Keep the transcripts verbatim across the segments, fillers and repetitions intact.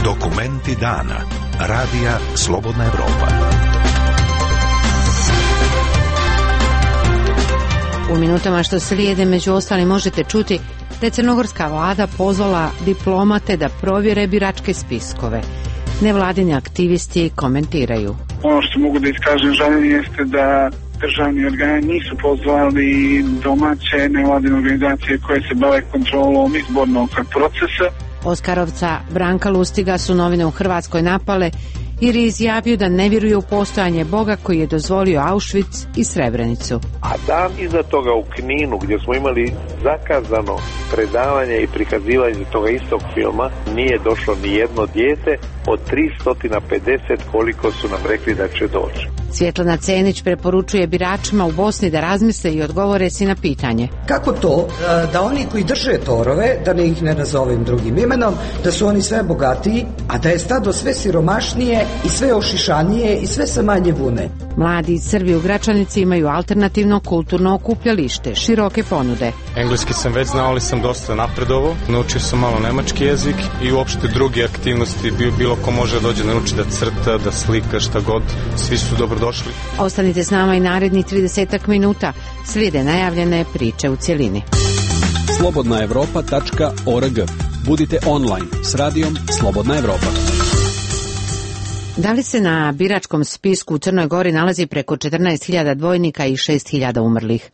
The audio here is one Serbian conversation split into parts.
Dokumenti dana. Radija Slobodna Evropa. U minutama što slijede među ostalim možete čuti da je crnogorska vlada pozvala diplomate da provjere biračke spiskove. Nevladini aktivisti komentiraju. Ono što mogu da iskažem žaljenje jeste da državni organi nisu pozvali domaće nevladine organizacije koje se bave kontrolom izbornog procesa. Oskarovca Branka Lustiga su novine u Hrvatskoj napale jer je izjavio da ne vjeruje u postojanje Boga koji je dozvolio Auschwitz i Srebrenicu. A dan iza toga u Kninu, gdje smo imali zakazano predavanje i prikazivanje toga istog filma, nije došlo ni jedno dijete od tristo pedeset koliko su nam rekli da će doći. Svjetlana Cenić preporučuje biračima u Bosni da razmisle i odgovore si na pitanje. Kako to da oni koji drže torove, da ne ih ne nazovem drugim imenom, da su oni sve bogatiji, a da je stado sve siromašnije i sve ošišanije i sve sa manje vune? Mladi iz Srbije u Gračanici imaju alternativno kulturno okupljalište, široke ponude. Engleski sam već znao, ali sam dosta napredovo. Naučio sam malo nemački jezik i uopšte druge aktivnosti. Bilo ko može dođe da nauči da crta, da slika, šta god. Svi su dobrodošli. Ostanite s nama i narednih tridesetak minuta. Slijede najavljene priče u cjelini. slobodna evropa tačka org. Budite online s radijom Slobodna Evropa. Da li se na biračkom spisku u Crnoj Gori nalazi preko četrnaest hiljada dvojnika i šest hiljada umrlih?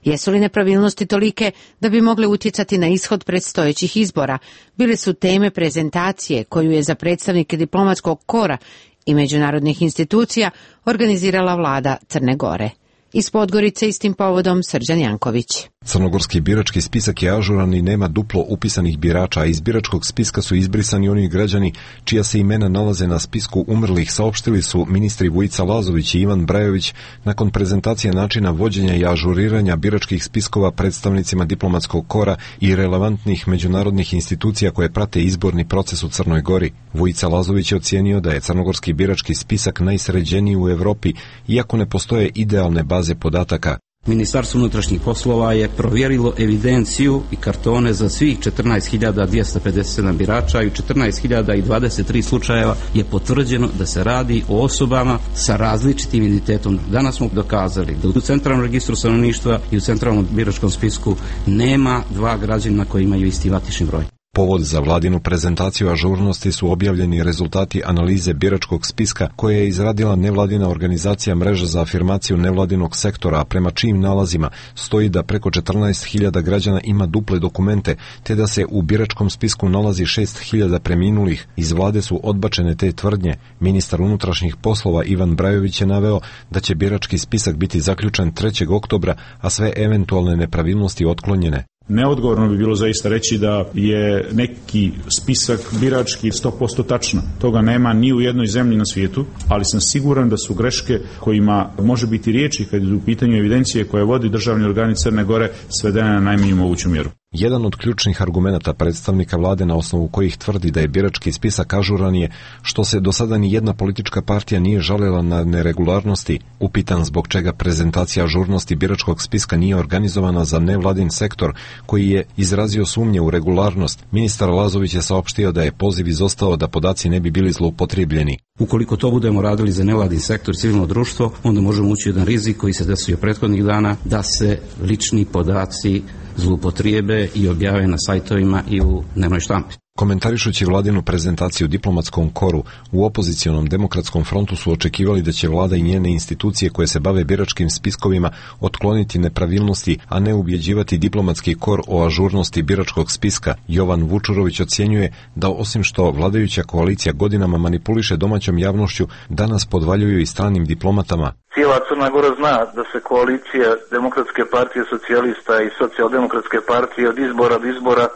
Jesu li nepravilnosti tolike da bi mogle utjecati na ishod predstojećih izbora? Bile su teme prezentacije koju je za predstavnike diplomatskog kora i međunarodnih institucija organizirala vlada Crne Gore. Iz Podgorice istim povodom Srđan Janković. Crnogorski birački spisak je ažuran i nema duplo upisanih birača, a iz biračkog spiska su izbrisani oni građani čija se imena nalaze na spisku umrlih, saopštili su ministri Vujica Lazović i Ivan Brajović nakon prezentacije načina vođenja i ažuriranja biračkih spiskova predstavnicima diplomatskog kora i relevantnih međunarodnih institucija koje prate izborni proces u Crnoj Gori. Vujica Lazović je ocijenio da je crnogorski birački spisak najsređeniji u Evropi, iako ne postoje idealne baze podataka. Ministarstvo unutrašnjih poslova je provjerilo evidenciju i kartone za svih četrnaest hiljada dvjesto pedeset sedam birača i u četrnaest hiljada dvadeset tri slučajeva je potvrđeno da se radi o osobama sa različitim identitetom. Danas smo dokazali da u centralnom registru stanovništva i u centralnom biračkom spisku nema dva građanina koji imaju isti matični broj. Povod za vladinu prezentaciju ažurnosti su objavljeni rezultati analize biračkog spiska koje je izradila nevladina organizacija Mreža za afirmaciju nevladinog sektora, a prema čijim nalazima stoji da preko četrnaest hiljada građana ima duple dokumente, te da se u biračkom spisku nalazi šest hiljada preminulih. Iz vlade su odbačene te tvrdnje. Ministar unutrašnjih poslova Ivan Brajović je naveo da će birački spisak biti zaključen trećeg oktobra, a sve eventualne nepravilnosti otklonjene. Neodgovorno bi bilo zaista reći da je neki spisak birački sto posto tačno. Toga nema ni u jednoj zemlji na svijetu, ali sam siguran da su greške kojima može biti riječi kad je u pitanju evidencije koje vodi državni organi Crne Gore svedene na najmanju moguću mjeru. Jedan od ključnih argumenata predstavnika vlade na osnovu kojih tvrdi da je birački spisak ažuran je što se do sada ni jedna politička partija nije žalila na neregularnosti. Upitan zbog čega prezentacija ažurnosti biračkog spiska nije organizovana za nevladin sektor koji je izrazio sumnje u regularnost, ministar Lazović je saopštio da je poziv izostao da podaci ne bi bili zloupotrijebljeni. Ukoliko to budemo radili za nevladin sektor i civilno društvo, onda možemo ući u jedan rizik koji se desio prethodnih dana da se lični podaci zloupotrijebe i objave na sajtovima i u dnevnoj štampi. Komentarišući vladinu prezentaciju diplomatskom koru, u opozicionom demokratskom frontu su očekivali da će vlada i njene institucije koje se bave biračkim spiskovima otkloniti nepravilnosti, a ne ubjeđivati diplomatski kor o ažurnosti biračkog spiska. Jovan Vučurović ocjenjuje da osim što vladajuća koalicija godinama manipuliše domaćom javnošću, danas podvaljuju i stranim diplomatama. Cijela Crna Gora zna da se koalicija Demokratske partije socijalista i Socijaldemokratske partije od izbora do izbora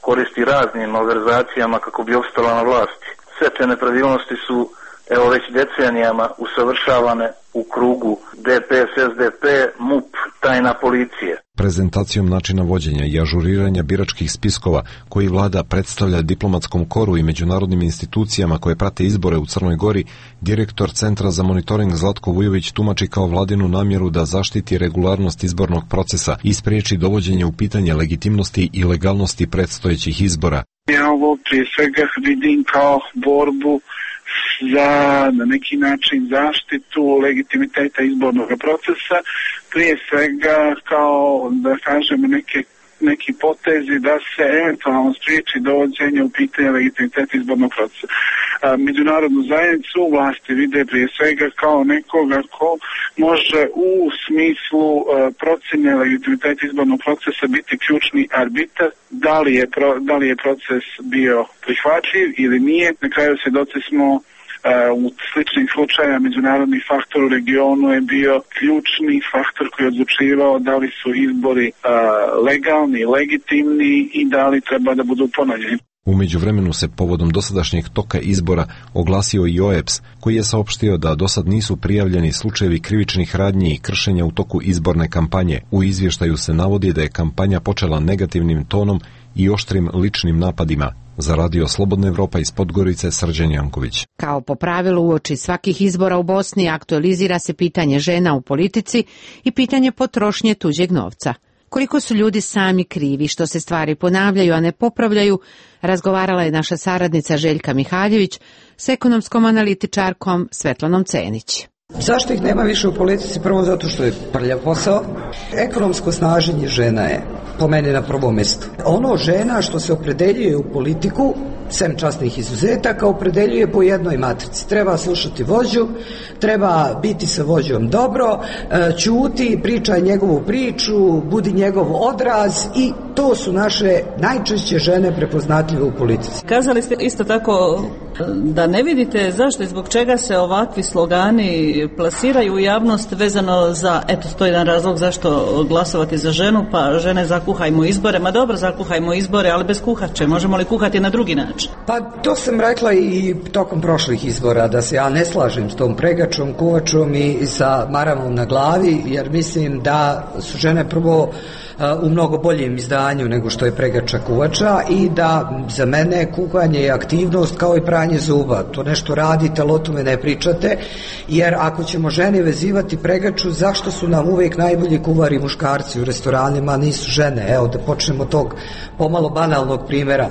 koristi raznim malverzacijama kako bi opstala na vlasti. Sve te nepravilnosti su evo već decenijama usavršavane u krugu D P S, S D P, M U P, tajna policije. Prezentacijom načina vođenja i ažuriranja biračkih spiskova koji vlada predstavlja diplomatskom koru i međunarodnim institucijama koje prate izbore u Crnoj Gori, direktor Centra za monitoring Zlatko Vujović tumači kao vladinu namjeru da zaštiti regularnost izbornog procesa i spriječi dovođenje u pitanje legitimnosti i legalnosti predstojećih izbora. Ja ovo prije svega vidim kao borbu za na neki način zaštitu legitimiteta izbornog procesa, prije svega kao da kažemo neke neki potezi da se eventualno spriječi dovođenje u pitanje legitimiteta izbornog procesa. Međunarodnu zajednicu vlasti vide prije svega kao nekoga ko može u smislu procjene legitimiteta izbornog procesa biti ključni arbitar, da li je, pro, da li je proces bio prihvatljiv ili nije. Na kraju svjedoci smo u sličnih slučaja međunarodni faktor u regionu je bio ključni faktor koji je odlučivao da li su izbori uh, legalni, legitimni i da li treba da budu ponovljeni. U međuvremenu se povodom dosadašnjeg toka izbora oglasio i O E P S, koji je saopštio da dosad nisu prijavljeni slučajevi krivičnih radnji i kršenja u toku izborne kampanje. U izvještaju se navodi da je kampanja počela negativnim tonom i oštrim ličnim napadima. Za Radio Slobodna Evropa iz Podgorice, Srđan Janković. Kao po pravilu uoči svakih izbora u Bosni aktualizira se pitanje žena u politici i pitanje potrošnje tuđeg novca. Koliko su ljudi sami krivi što se stvari ponavljaju, a ne popravljaju, razgovarala je naša saradnica Željka Mihaljević s ekonomskom analitičarkom Svetlanom Cenić. Zašto ih nema više u politici? Prvo zato što je prljav posao. Ekonomsko snaženje žena je po meni na prvom mjestu. Ono žena što se opredeljuje u politiku, sem časnih izuzetaka, opredeljuje po jednoj matrici. Treba slušati vođu, treba biti sa vođom dobro, ćuti, pričaj njegovu priču, budi njegov odraz i to su naše najčešće žene prepoznatljive u politici. Kazali ste isto tako da ne vidite zašto i zbog čega se ovakvi slogani plasiraju u javnost vezano za, eto, to je jedan razlog zašto glasovati za ženu, pa žene zakuhajmo izbore. Ma dobro, zakuhajmo izbore, ali bez kuhače. Možemo li kuhati na drugi način? Pa to sam rekla i tokom prošlih izbora, da se ja ne slažem s tom pregačom, kuvačom i sa maramom na glavi, jer mislim da su žene prvo u mnogo boljem izdanju nego što je pregača kuvača i da za mene kuhanje je aktivnost kao i pranje zuba. To nešto radite, ali o tome ne pričate, jer ako ćemo žene vezivati pregaču, zašto su nam uvijek najbolji kuvari muškarci u restoranima, nisu žene? Evo da počnemo tog pomalo banalnog primjera,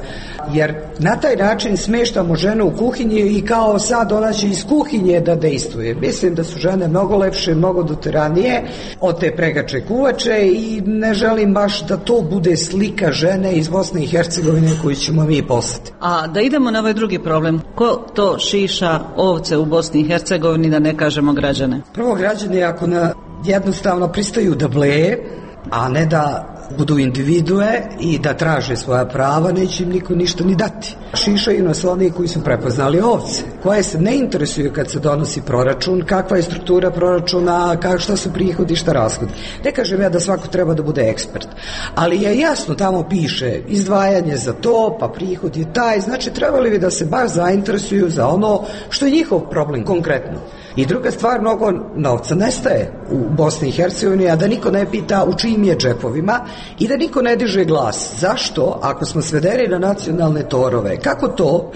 jer na taj način smeštamo ženu u kuhinji i kao sad ona će iz kuhinje da dejstvuje. Mislim da su žene mnogo lepše, mnogo doteranije od te pregače kuvače i ne želim baš da to bude slika žene iz Bosne i Hercegovine koju ćemo mi poslati. A da idemo na ovaj drugi problem, ko to šiša ovce u Bosni i Hercegovini, da ne kažemo građane? Prvo, građani ako na jednostavno pristaju da bleje, a ne da budu individue i da traže svoja prava, neće im niko ništa ni dati. Šišaju nas oni koji su prepoznali ovce, koje se ne interesuju kad se donosi proračun, kakva je struktura proračuna, kak, šta su prihodi, šta rashodi. Ne kažem ja da svako treba da bude ekspert, ali je jasno, tamo piše izdvajanje za to, pa prihod je taj, znači trebali bi da se baš zainteresuju za ono što je njihov problem konkretno. I druga stvar, mnogo novca nestaje u Bosni i Hercegovini, a da niko ne pita u čijim je džepovima i da niko ne diže glas. Zašto, ako smo svedeni na nacionalne torove, kako to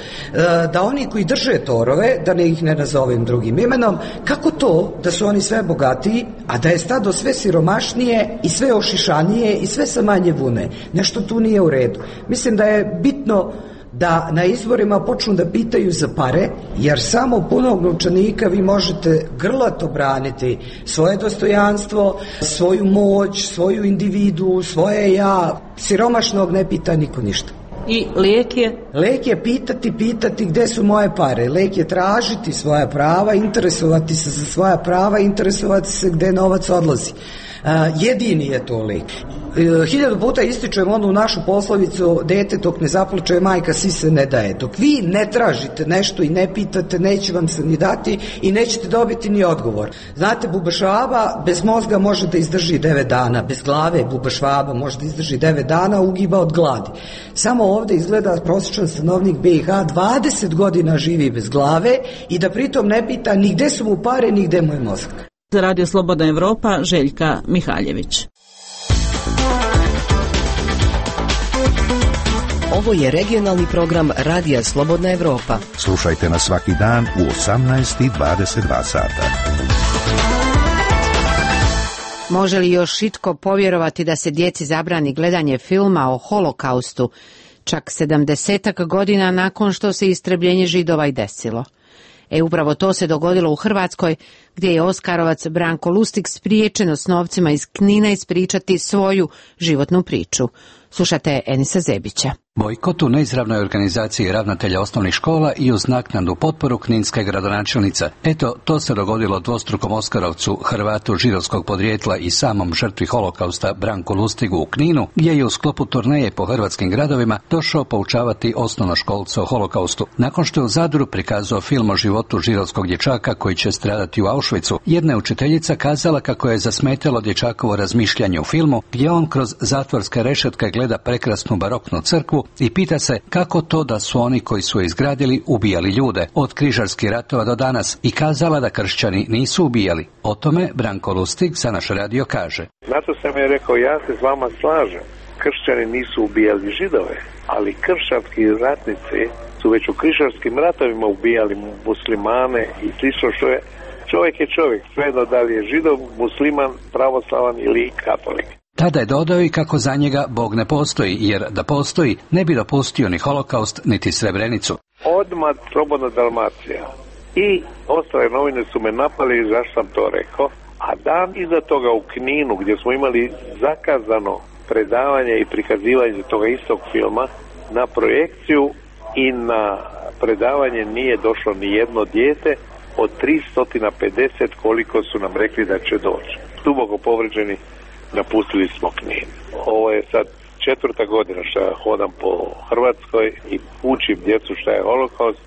da oni koji drže torove, da ne ih ne nazovem drugim imenom, kako to da su oni sve bogatiji, a da je stado sve siromašnije i sve ošišanije i sve sa manje vune? Nešto tu nije u redu. Mislim da je bitno da na izborima počnu da pitaju za pare, jer samo punog novčanika vi možete grlato braniti svoje dostojanstvo, svoju moć, svoju individu, svoje ja. Siromašnog ne pita niko ništa. I lijek je? Lijek je pitati, pitati gde su moje pare. Lijek je tražiti svoja prava, interesovati se za svoja prava, interesovati se gde novac odlazi. jedini je to lek. Hiljadu puta ističujem onu našu poslovicu, dete dok ne zaplače majka si se ne daje. Dok vi ne tražite nešto i ne pitate, neće vam se ni dati i nećete dobiti ni odgovor. Znate, buba švaba bez mozga može da izdrži devet dana, bez glave buba švaba može da izdrži devet dana, ugiba od gladi. Samo ovde izgleda prosječan stanovnik B i H dvadeset godina živi bez glave i da pritom ne pita ni gde su mu pare, ni gde mu je mozak. Za Radio Slobodna Evropa, Željka Mihaljević. Ovo je regionalni program Radija Slobodna Evropa. Slušajte nas svaki dan u osamnaest i dvadeset dva sata. Može li još itko povjerovati da se djeci zabrani gledanje filma o holokaustu, čak sedamdesetak godina nakon što se istrebljenje Židova i desilo? E upravo to se dogodilo u Hrvatskoj, gdje je Oskarovac Branko Lustig spriječeno s novcima iz Knina ispričati svoju životnu priču. Slušate Enisa Zebića. Bojkot u neizravnoj organizaciji ravnatelja osnovnih škola i uz naknadnu potporu kninske gradonačelnica. Eto, to se dogodilo dvostrukom Oskarovcu, Hrvatu židovskog podrijetla i samom žrtvi holokausta Branku Lustigu u Kninu, gdje je u sklopu turneje po hrvatskim gradovima došao poučavati osnovnoškolce o holokaustu. Nakon što je u Zadru prikazao film o životu židovskog dječaka koji će stradati u Auschwitzu, jedna je učiteljica kazala kako je zasmetalo dječakovo razmišljanje u filmu, gdje on kroz zatvorske rešetke gleda prekrasnu baroknu crkvu i pita se kako to da su oni koji su je izgradili ubijali ljude od križarskih ratova do danas i kazala da kršćani nisu ubijali. O tome Branko Lustig za naš radio kaže. Zato sam je rekao, ja se s vama slažem. Kršćani nisu ubijali Židove, ali kršćanski ratnici su već u križarskim ratovima ubijali muslimane i slično što je. Čovjek je čovjek, svejedno da li je Židov, musliman, pravoslavan ili katolik. Tada je dodao i kako za njega Bog ne postoji, jer da postoji ne bi dopustio ni holokaust, niti Srebrenicu. Odmah Slobodna Dalmacija i ostale novine su me napali zašto sam to rekao, a dan iza toga u Kninu gdje smo imali zakazano predavanje i prikazivanje toga istog filma na projekciju i na predavanje nije došlo ni jedno dijete od tristo pedeset koliko su nam rekli da će doći. Duboko povređeni napustili smo Knin. Ovo je sad četvrta godina što ja hodam po Hrvatskoj i učim djecu šta je holokaust.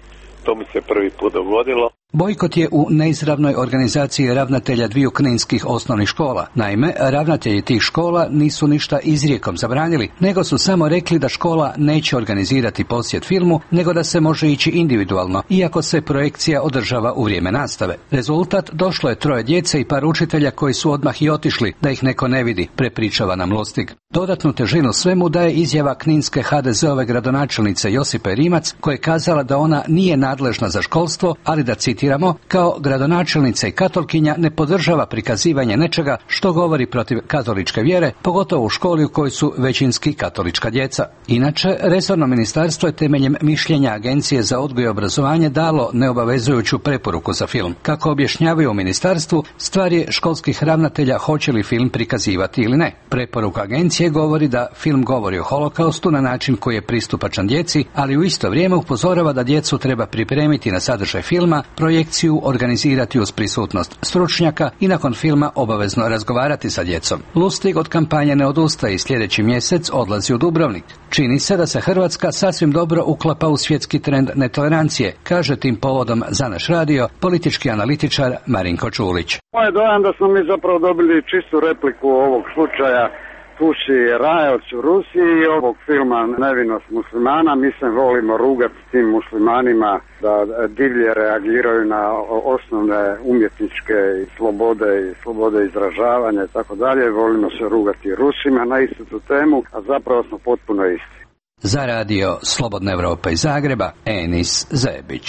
To mi se prvi put dogodilo. Bojkot je u neizravnoj organizaciji ravnatelja dviju kninskih osnovnih škola. Naime, ravnatelji tih škola nisu ništa izrijekom zabranili, nego su samo rekli da škola neće organizirati posjet filmu, nego da se može ići individualno, iako se projekcija održava u vrijeme nastave. Rezultat, došlo je troje djece i par učitelja koji su odmah i otišli, da ih neko ne vidi, prepričava nam Lustig. Dodatnu težinu svemu daje izjava kninske ha de zeove gradonačelnice Josipe Rimac, koja je kazala da ona nije nadležna za školstvo, ali da citi kao gradonačelnica i katolkinja ne podržava prikazivanje nečega što govori protiv katoličke vjere, pogotovo u školi u kojoj su većinski katolička djeca. Inače, resorno ministarstvo je temeljem mišljenja Agencije za odgoj i obrazovanje dalo neobavezujuću preporuku za film. Kako objašnjavaju u ministarstvu, stvar je školskih ravnatelja hoće li film prikazivati ili ne. Preporuka agencije govori da film govori o holokaustu na način koji je pristupačan djeci, ali u isto vrijeme upozorava da djecu treba pripremiti na sadržaj filma, projekciju organizirati uz prisutnost stručnjaka i nakon filma obavezno razgovarati sa djecom. Lustig od kampanje ne odustaje i sljedeći mjesec odlazi u Dubrovnik. Čini se da se Hrvatska sasvim dobro uklapa u svjetski trend netolerancije, kaže tim povodom za naš radio politički analitičar Marinko Čulić. Moj dojam da smo mi zapravo dobili čistu repliku ovog slučaja Puši Rajac u Rusiji i ovog filma Nevinost muslimana. Mi se volimo rugati tim muslimanima da divlje reagiraju na osnovne umjetničke slobode i slobode izražavanja i tako dalje. Volimo se rugati Rusima na istu tu temu, a zapravo smo potpuno isti. Za radio Slobodna Evropa iz Zagreba, Enis Zebić.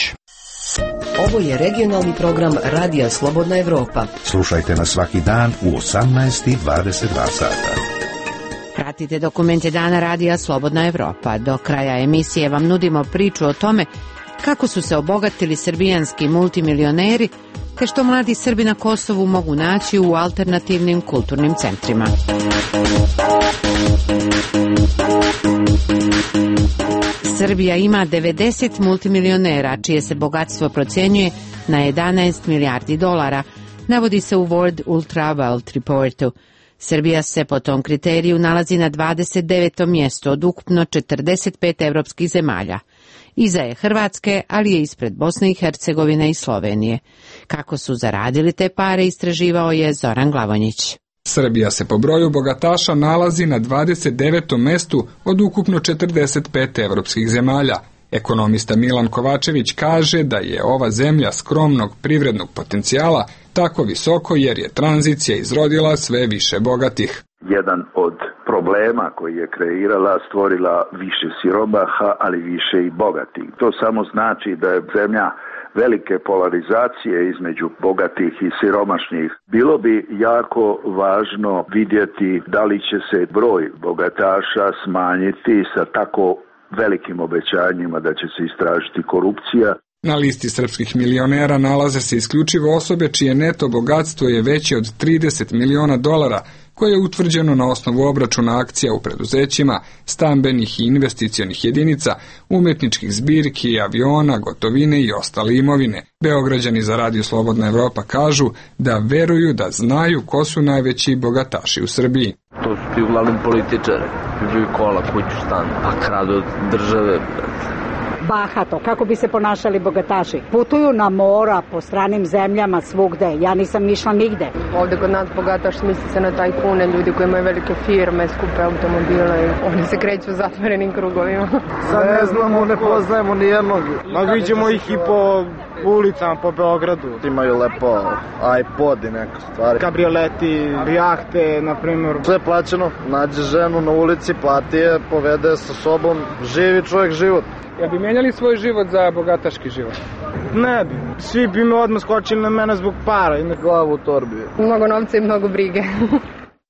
Ovo je regionalni program Radija Slobodna Evropa. Slušajte nas svaki dan u osamnaest i dvadeset dva sata. Pratite dokumente dana Radija Slobodna Evropa. Do kraja emisije vam nudimo priču o tome kako su se obogatili srbijanski multimilioneri, te što mladi Srbi na Kosovu mogu naći u alternativnim kulturnim centrima. Srbija ima devedeset multimilionera, čije se bogatstvo procjenjuje na jedanaest milijardi dolara, navodi se u World Ultra Wealth Reportu. Srbija se po tom kriteriju nalazi na dvadeset devetom mjestu od ukupno četrdeset pet evropskih zemalja. Iza je Hrvatske, ali je ispred Bosne i Hercegovine i Slovenije. Kako su zaradili te pare, istraživao je Zoran Glavonjić. Srbija se po broju bogataša nalazi na dvadeset devetom mestu od ukupno četrdeset pet evropskih zemalja. Ekonomista Milan Kovačević kaže da je ova zemlja skromnog privrednog potencijala tako visoko jer je tranzicija izrodila sve više bogatih. Jedan od problema koji je kreirala, stvorila više siromaha, ali više i bogatih. To samo znači da je zemlja velike polarizacije između bogatih i siromašnih. Bilo bi jako važno vidjeti da li će se broj bogataša smanjiti sa tako velikim obećanjima da će se istražiti korupcija. Na listi srpskih milionera nalaze se isključivo osobe čije neto bogatstvo je veće od trideset miliona dolara, koje je utvrđeno na osnovu obračuna akcija u preduzećima, stambenih i investicionih jedinica, umetničkih zbirki, aviona, gotovine i ostale imovine. Beograđani za Radio Slobodna Evropa kažu da veruju da znaju ko su najveći bogataši u Srbiji. To su ti uglavnom političari, kupuju kola, kuću, stan, a kradu od države. Bahato, kako bi se ponašali bogataši. Putuju na mora, po stranim zemljama, svugde. Ja nisam išla nigde. Ovde kod nas bogataš misli se na tajkune, ljudi koji imaju velike firme, skupe automobile i oni se kreću u zatvorenim krugovima. Sad ne znamo, ne poznajemo ni jednog. Ma vidimo ih i po ulicama, po Beogradu. Imaju lepo iPod i neke stvari. Kabrioleti, jahte, na primjer. Sve plaćeno, nađe ženu na ulici, plati je, povede sa sobom, živi čovjek život. Ja bi menjali svoj život za bogataški život? Ne bi. Svi bi me odmah skočili na mene zbog para i na glavu u torbi. Mnogo novca i mnogo brige.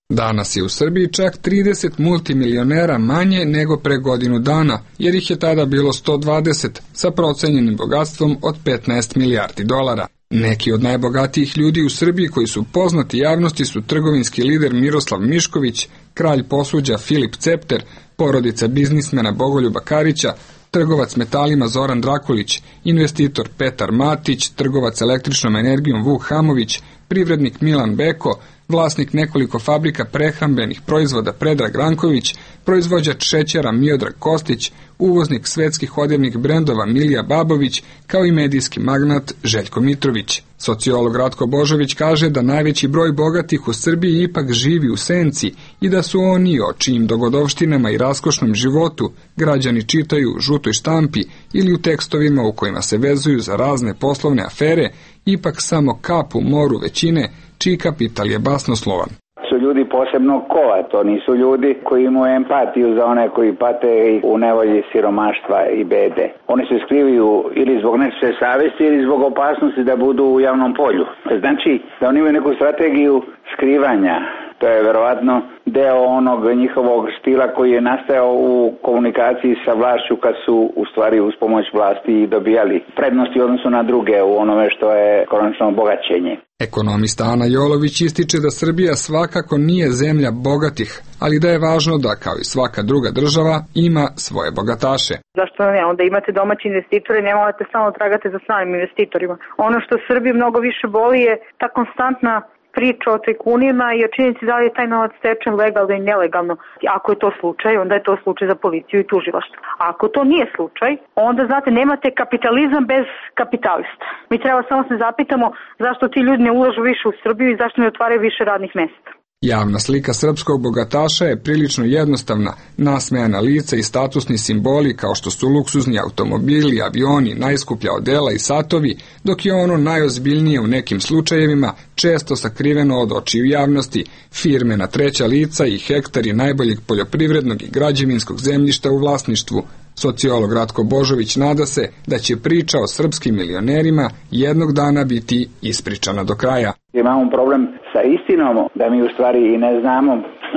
Danas je u Srbiji čak trideset multimilionera manje nego pre godinu dana, jer ih je tada bilo sto dvadeset, sa procenjenim bogatstvom od petnaest milijardi dolara. Neki od najbogatijih ljudi u Srbiji koji su poznati javnosti su trgovinski lider Miroslav Mišković, kralj posuđa Filip Cepter, porodica biznismena Bogoljuba Karića, trgovac metalima Zoran Drakulić, investitor Petar Matić, trgovac električnom energijom Vuk Hamović, privrednik Milan Beko, vlasnik nekoliko fabrika prehrambenih proizvoda Predrag Ranković, proizvođač šećera Miodrag Kostić, uvoznik svetskih odevnih brendova Milija Babović, kao i medijski magnat Željko Mitrović. Sociolog Ratko Božović kaže da najveći broj bogatih u Srbiji ipak živi u senci i da su oni o čijim dogodovštinama i raskošnom životu građani čitaju u žutoj štampi ili u tekstovima u kojima se vezuju za razne poslovne afere, ipak samo kap u moru većine čiji kapital je basnoslovan. Su ljudi posebno kova, to nisu ljudi koji imaju empatiju za one koji pate u nevolji siromaštva i bede. Oni se skrivaju ili zbog nečije savesti ili zbog opasnosti da budu u javnom polju. Znači da oni imaju neku strategiju skrivanja. To je verovatno deo onog njihovog stila koji je nastajao u komunikaciji sa vlašću kad su u stvari uz pomoć vlasti dobijali prednosti u odnosu na druge u onome što je konačno bogaćenje. Ekonomista Ana Jolović ističe da Srbija svakako nije zemlja bogatih, ali da je važno da, kao i svaka druga država, ima svoje bogataše. Zašto ne? Onda imate domaći investitore, ne morate samo tragate za stranim investitorima. Ono što Srbiju mnogo više boli je ta konstantna priča o tajkunima i o činjenici da li je taj novac stečen legalno i nelegalno. Ako je to slučaj, onda je to slučaj za policiju i tužilaštvo. A ako to nije slučaj, onda, znate, nemate kapitalizam bez kapitalista. Mi treba samo se zapitamo zašto ti ljudi ne ulažu više u Srbiju i zašto ne otvaraju više radnih mjesta. Javna slika srpskog bogataša je prilično jednostavna, nasmejana lica i statusni simboli kao što su luksuzni automobili, avioni, najskuplja odela i satovi, dok je ono najozbiljnije u nekim slučajevima često sakriveno od očiju javnosti, firme na treća lica i hektari najboljeg poljoprivrednog i građevinskog zemljišta u vlasništvu. Sociolog Ratko Božović nada se da će priča o srpskim milionerima jednog dana biti ispričana do kraja. Imamo problem sa istinom da mi u stvari i ne znamo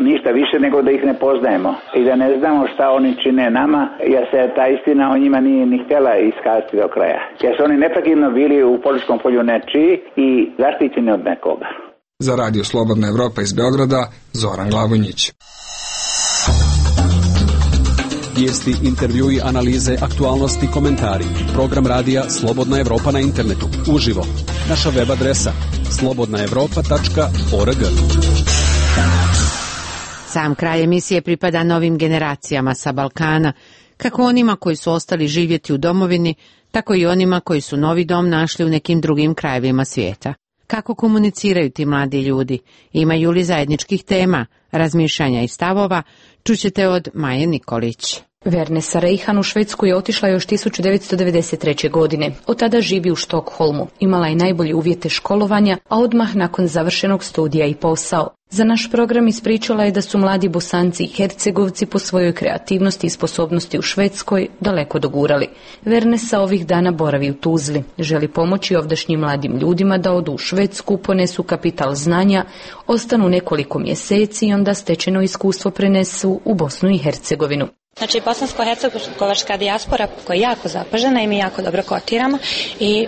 ništa više nego da ih ne poznajemo i da ne znamo šta oni čine nama, jer se ta istina o njima nije ni htjela iskazati do kraja. Jer su oni neprekidno bili u političkom polju nečiji i zaštićeni od nekoga. Za Radio Slobodna Evropa iz Beograda, Zoran Glavonjić. Vijesti, intervjui, analize, aktualnosti, komentari. Program radija Slobodna Evropa na internetu. Uživo. Naša web adresa slobodna evropa tačka org. Sam kraj emisije pripada novim generacijama sa Balkana, kako onima koji su ostali živjeti u domovini, tako i onima koji su novi dom našli u nekim drugim krajevima svijeta. Kako komuniciraju ti mladi ljudi? Imaju li zajedničkih tema, razmišljanja i stavova? Čućete od Maje Nikolić. Vernesa Reihan u Švedsku je otišla još tisuću devetsto devedeset treće. godine. Od tada živi u Štokholmu. Imala je najbolje uvjete školovanja, a odmah nakon završenog studija i posao. Za naš program ispričala je da su mladi Bosanci i Hercegovci po svojoj kreativnosti i sposobnosti u Švedskoj daleko dogurali. Vernesa ovih dana boravi u Tuzli. Želi pomoći ovdašnjim mladim ljudima da odu u Švedsku, ponesu kapital znanja, ostanu nekoliko mjeseci i onda stečeno iskustvo prenesu u Bosnu i Hercegovinu. Znači, bosansko-hercegovačka dijaspora koja je jako zapažena i mi jako dobro kotiramo i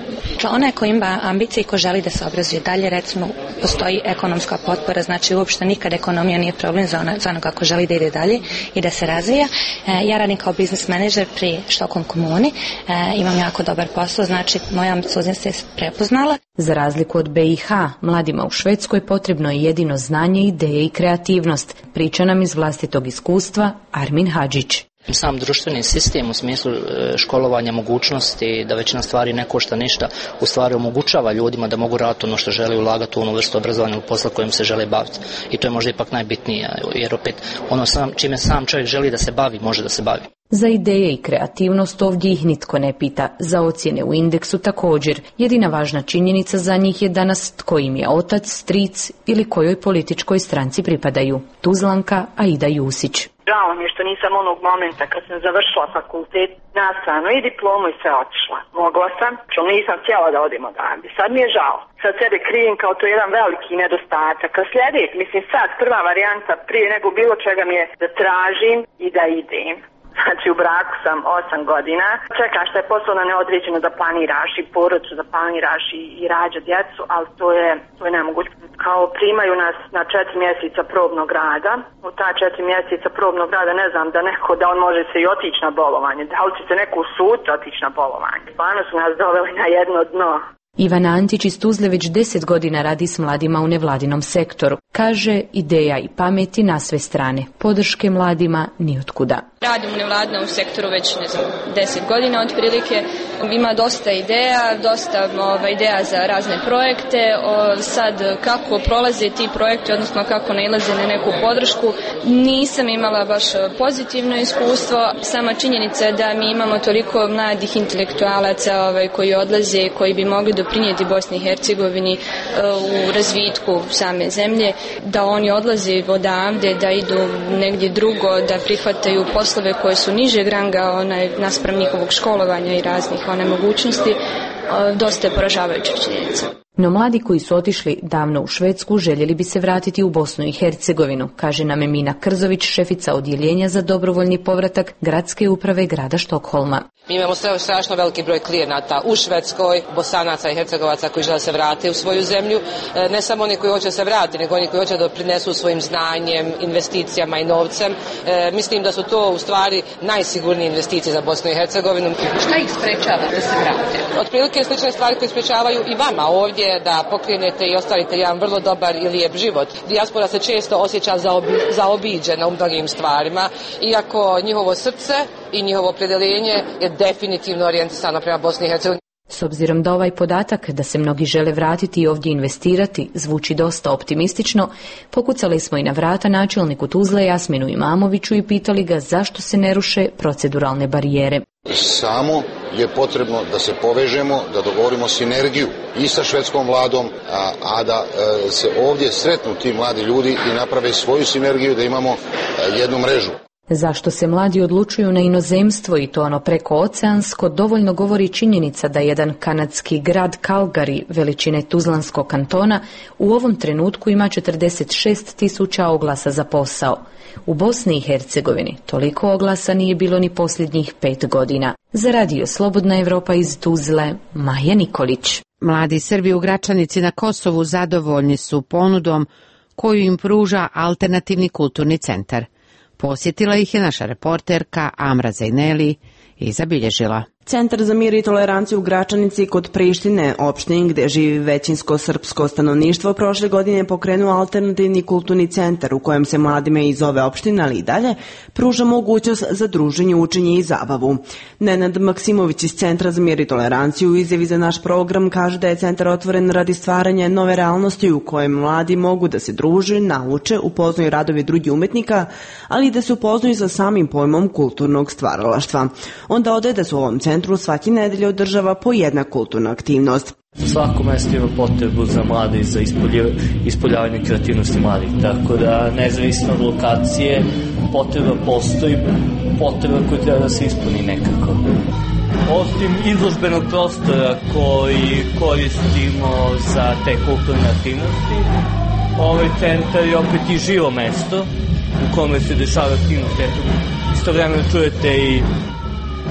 onaj ko ima ambicije i ko želi da se obrazuje dalje, recimo, postoji ekonomska potpora, znači uopšte nikad ekonomija nije problem za, ono, za onoga ko želi da ide dalje i da se razvija. E, ja radim kao biznis menadžer pri Štokholm komuni, e, imam jako dobar posao, znači moja ambicioznost se prepoznala. Za razliku od B i H, mladima u Švedskoj potrebno je jedino znanje, ideje i kreativnost. Priča nam iz vlastitog iskustva Armin Hadžić. Sam društveni sistem u smislu školovanja, mogućnosti da većina stvari ne košta ništa, u stvari omogućava ljudima da mogu raditi ono što žele, ulagati u onu vrstu obrazovanja ili posla kojim se žele baviti. I to je možda ipak najbitnije, jer opet ono sam, čime sam čovjek želi da se bavi, može da se bavi. Za ideje i kreativnost ovdje ih nitko ne pita, za ocjene u indeksu također. Jedina važna činjenica za njih je danas tko im je otac, stric ili kojoj političkoj stranci pripadaju. Tuzlanka Aida Jusić. Žao mi je što nisam onog momenta kad sam završila fakultet nastavno i diplomu i sve otišla. Mogla sam, što nisam htjela da odem odavde. Sad mi je žao. Sad sebe krivim kao to jedan veliki nedostatak. A sljedeći, mislim sad, prva varijanta prije nego bilo čega mi je da tražim i da idem. Znači u braku sam osam godina. Čekam što je poslovno neodređeno da planiraš i porodicu, da planiraš i, i rađa djecu, ali to je, to je nemoguće. Kao primaju nas na četiri mjeseca probnog rada. U ta četiri mjeseca probnog rada ne znam da neko, da on može se i otići na bolovanje. Da li će se neko usud otići na bolovanje. Stvarno su nas doveli na jedno dno. Ivana Antić iz Tuzle već deset godina radi s mladima u nevladinom sektoru. Kaže, ideja i pameti na sve strane. Podrške mladima nijotkuda. Radim u nevladinom sektoru već, ne znam, deset godina otprilike. Ima dosta ideja, dosta ova, ideja za razne projekte. O, sad, kako prolaze ti projekti, odnosno kako nailaze na neku podršku, nisam imala baš pozitivno iskustvo. Sama činjenica je da mi imamo toliko mladih intelektualaca ovaj, koji odlaze, koji bi mogli doprinijeti Bosni i Hercegovini u razvitku same zemlje, da oni odlaze odavde, da idu negdje drugo, da prihvataju poslove koje su nižeg ranga onaj, naspram njihovog školovanja i raznih one mogućnosti, dosta je poražavajuća činjenica. No mladi koji su otišli davno u Švedsku željeli bi se vratiti u Bosnu i Hercegovinu, kaže nam Emina Krzović, šefica odjeljenja za dobrovoljni povratak Gradske uprave grada Štokholma. Mi imamo strašno veliki broj klijenata u Švedskoj, Bosanaca i Hercegovaca koji žele se vratiti u svoju zemlju. Ne samo oni koji hoće se vratiti, nego oni koji hoće da prinesu svojim znanjem, investicijama i novcem. E, mislim da su to u stvari najsigurnije investicije za Bosnu i Hercegovinu. Šta ih sprečava da se vrate? Otprilike slične stvari koje sprečavaju i vama ovdje da pokrenete i ostvarite jedan vrlo dobar i lijep život. Dijaspora se često osjeća zaobiđena u mnogim stvarima, iako njihovo srce i njihovo opredjeljenje je definitivno orijentisano prema Bosni i Hercegovini. S obzirom da ovaj podatak da se mnogi žele vratiti i ovdje investirati zvuči dosta optimistično, pokucali smo i na vrata načelniku Tuzle Jasminu Imamoviću i pitali ga zašto se ne ruše proceduralne barijere. Samo je potrebno da se povežemo, da dogovorimo sinergiju i sa švedskom vladom, a, a da e, se ovdje sretnu ti mladi ljudi i naprave svoju sinergiju, da imamo e, jednu mrežu. Zašto se mladi odlučuju na inozemstvo i to ono preko oceansko, dovoljno govori činjenica da jedan kanadski grad Calgary, veličine Tuzlanskog kantona, u ovom trenutku ima četrdeset šest tisuća oglasa za posao. U Bosni i Hercegovini toliko oglasa nije bilo ni posljednjih pet godina. Za radio Slobodna Evropa iz Tuzle, Maja Nikolić. Mladi Srbi u Gračanici na Kosovu zadovoljni su ponudom koju im pruža alternativni kulturni centar. Posjetila ih je naša reporterka Amra Zajneli i zabilježila. Centar za mir i toleranciju u Gračanici kod Prištine, opštini gde živi većinsko srpsko stanovništvo, prošle godine pokrenuo alternativni kulturni centar u kojem se mladima iz ove opštine, ali i dalje, pruža mogućnost za druženje, učenje i zabavu. Nenad Maksimović iz Centra za mir i toleranciju u izjavi za naš program kaže da je centar otvoren radi stvaranja nove realnosti u kojem mladi mogu da se druže, nauče, upoznaju radove drugih umetnika, ali i da se upoznaju sa samim pojmom kulturnog stvaralaštva. On dodaje da su u ovom centru svaki nedelje održava po jedna kulturna aktivnost. Svako mesto ima potrebu za mlade i za ispoljavanje kreativnosti mladih, tako da nezavisno od lokacije potreba postoji, potreba koja treba da se ispuni nekako. Osim izložbenog prostora koji koristimo za te kulturne aktivnosti, ovaj centar je opet i živo mesto u kome se dešava aktivnost. Istovremeno čujete i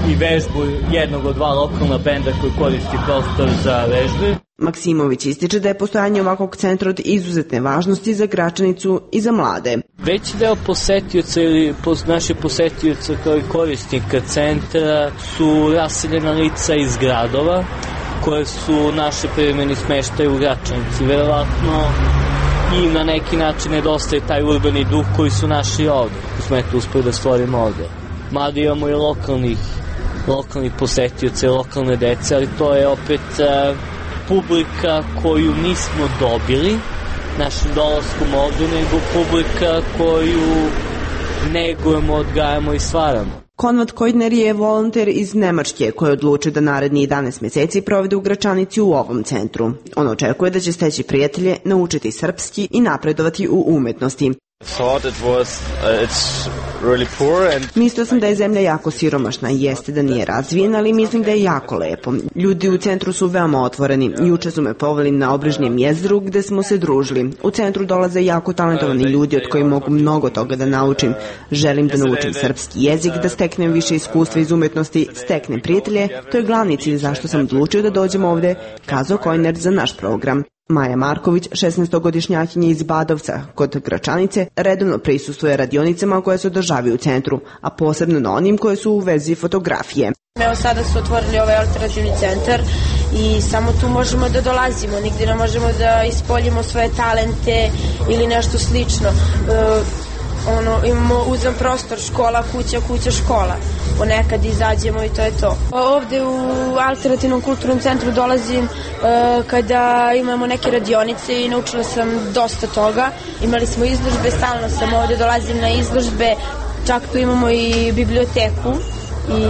i vežbu jednog od dva lokalna benda koji koristi prostor za vežbe. Maksimović ističe da je postojanje ovakvog centra od izuzetne važnosti za Gračanicu i za mlade. Veći deo posetioca ili naše posetioca kao i korisnika centra su raseljena lica iz gradova koje su naše privremeni smeštaje u Gračanici. Verovatno i na neki način nedostaje taj urbani duh koji su naši ovde, koji smo eto uspeli da stvorimo ovde. Mada imamo i lokalnih, lokalnih posetioca i lokalne dece, ali to je opet uh, publika koju nismo dobili našim dolaskom ovde, nego publika koju negujemo, odgajamo i stvaramo. Konrad Kojdner je volonter iz Nemačke koji je odlučio da naredni jedanaest meseci provede u Gračanici u ovom centru. On očekuje da će steći prijatelje, naučiti srpski i napredovati u umetnosti. Mislio sam da je zemlja jako siromašna i jeste da nije razvijena, ali mislim da je jako lepo. Ljudi u centru su veoma otvoreni. Juče su me poveli na obližnjem jezeru gde smo se družili. U centru dolaze jako talentovani ljudi od kojih mogu mnogo toga da naučim. Želim da naučim srpski jezik, da steknem više iskustva iz umetnosti, steknem prijatelje. To je glavni cilj zašto sam odlučio da dođem ovde, kazao Kojdner za naš program. Maja Marković, šesnaestogodišnjakinja iz Badovca kod Gračanice, redovno prisustuje radionicama koje se održavaju u centru, a posebno na onim koje su u vezi fotografije. Evo sada su otvorili ovaj alternativni centar i samo tu možemo da dolazimo, nigdje ne možemo da ispoljimo svoje talente ili nešto slično. E, ono, imamo uzem prostor, škola, kuća, kuća, škola. Ponekad izađemo i to je to. Ovde u alternativnom kulturnom centru dolazim e, kada imamo neke radionice i naučila sam dosta toga. Imali smo izložbe, stalno sam ovde, dolazim na izložbe, čak tu imamo i biblioteku i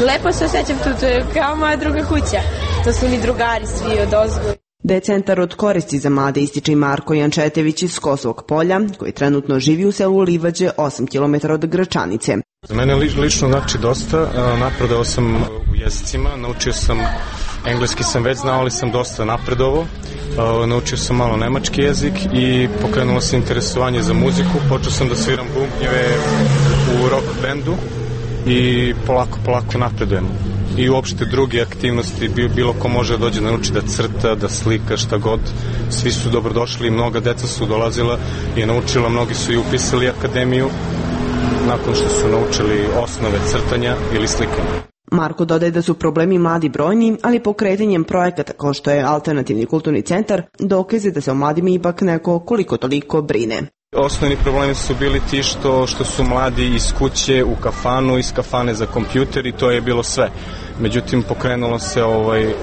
lepo se osjećam tu, to je kao moja druga kuća. To su ni drugari svi od ozgo. Da je centar od koristi za mlade ističe i Marko Jančetević iz Kosovog Polja, koji trenutno živi u selu Livađe, osam kilometara od Gračanice. Za mene lično znači dosta, napredovao sam u jezicima, naučio sam, engleski sam već znao, ali sam dosta napredovao, naučio sam malo nemački jezik i pokrenulo se interesovanje za muziku, počeo sam da sviram bubnjeve u rock bandu i polako, polako napredujem. I uopšte druge aktivnosti, bilo ko može da dođe da nauči da crta, da slika, šta god. Svi su dobrodošli, mnoga deca su dolazila i naučila, mnogi su i upisali akademiju nakon što su naučili osnove crtanja ili slikanja. Marko dodaje da su problemi mladi brojni, ali pokretanjem projekata kao što je Alternativni kulturni centar dokaze da se o mladima ipak neko koliko toliko brine. Osnovni problemi su bili ti što, što su mladi iz kuće u kafanu, iz kafane za kompjuter i to je bilo sve. Međutim, pokrenulo se, ovaj,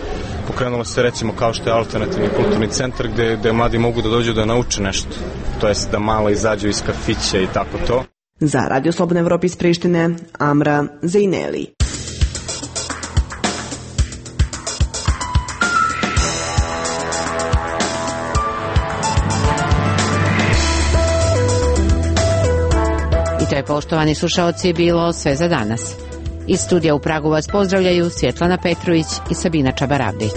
pokrenulo se recimo kao što je Alternativni kulturni centar gde, gde mladi mogu da dođu da nauče nešto. To jest da malo izađu iz kafića i tako to. Za Radio Slobodna Evropa iz Prištine, Amra Zejneli. To je, poštovani slušaoci, bilo sve za danas. Iz studija u Pragu vas pozdravljaju Svjetlana Petrović i Sabina Čabaravdić.